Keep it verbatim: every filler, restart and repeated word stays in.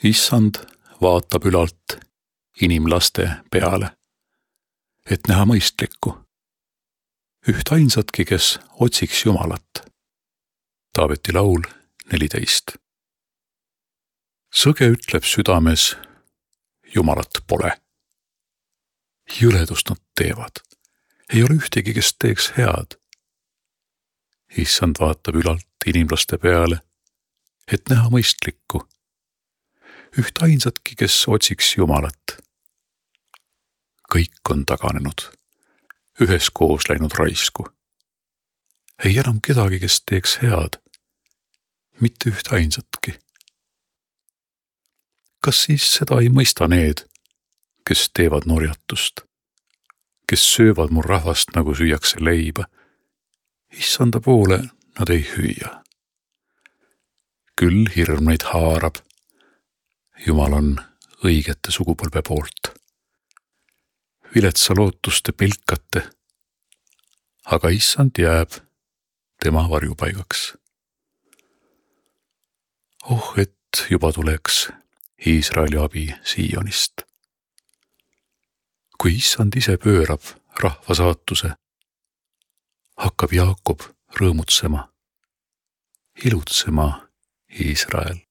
Issand vaatab ülalt inimlaste peale, et näha mõistlikku, üht ainsatki, kes otsiks Jumalat. Taaveti laul neliteist. Sõge ütleb südames, Jumalat pole. Jõledust nad teevad, ei ole ühtegi, kes teeks head. Issand vaatab ülalt inimlaste peale, et näha mõistlikku, üht ainsatki, kes otsiks Jumalat. Kõik on taganenud, üheskoos läinud raisku. Ei enam kedagi, kes teeks head, mitte üht ainsatki. Kas siis seda ei mõista need, kes teevad norjatust, kes söövad mu rahvast, nagu süüakse leiba? Issanda poole nad ei hüüa. Küll hirm neid haarab, Jumal on õigete sugupõlve poolt. Viletsa lootuste pilkate, aga Issand jääb tema varjupaigaks. Oh, et juba tuleks Iisraeli abi Siionist. Kui Issand ise pöörab rahva saatuse, hakkab Jaakob rõõmutsema, ilutsema Iisrael.